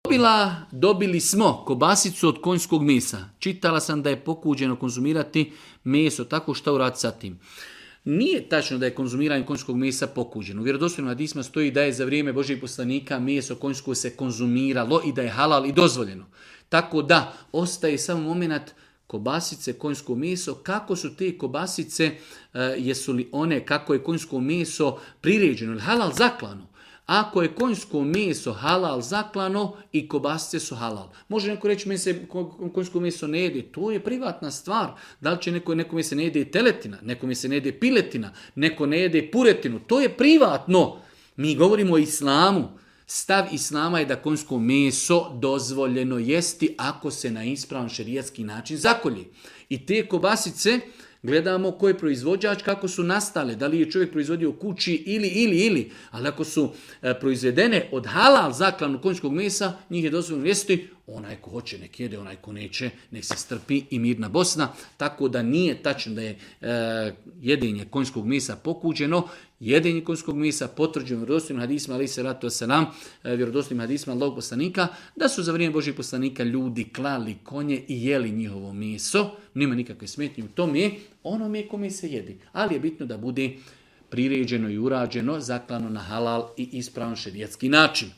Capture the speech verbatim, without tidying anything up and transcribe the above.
Dobila, dobili smo kobasicu od konjskog mesa. Čitala sam da je pokuđeno konzumirati meso, tako šta uraditi sa tim. Nije tačno da je konzumiranje konjskog mesa pokuđeno. U vjerodostojnim hadisima stoji da je za vrijeme Božjih poslanika meso konjsko se konzumiralo i da je halal i dozvoljeno. Tako da ostaje samo moment kobasice, konjsko meso. Kako su te kobasice, uh, jesu li one, kako je konjsko meso priređeno ili halal zaklano? Ako je konjsko meso halal zaklano i kobasice su halal. Može neko reći meni se konjsko meso ne jede. To je privatna stvar. Da li će neko, nekome se ne jede teletina, nekome se ne jede piletina, neko ne jede puretinu. To je privatno. Mi govorimo o islamu. Stav islama je da konjsko meso dozvoljeno jesti ako se na ispravan šerijatski način zakolji. I te kobasice gledamo ko je proizvođač, kako su nastale, da li je čovjek proizvodio u kući ili, ili, ili. Ali ako su e, proizvedene od halal zaklanu konjskog mesa, njih je dozvoljeno jesti. Onaj ko hoće nek jede, onaj ko neće nek se strpi i mirna Bosna. Tako da nije tačno da je e, jedenje konjskog mesa pokuđeno. Jedenje konjskog mesa potvrđeno vjerodostojnim hadisima, ali se ratu selam, vjerodostojnim hadisima Allahog poslanika, da su za vrijeme Božjih poslanika ljudi klali konje i jeli njihovo meso. Nema nikakve smetnje u tome, onome kome se jedi. Ali je bitno da bude priređeno i urađeno, zaklano na halal i ispravan šerijatski način.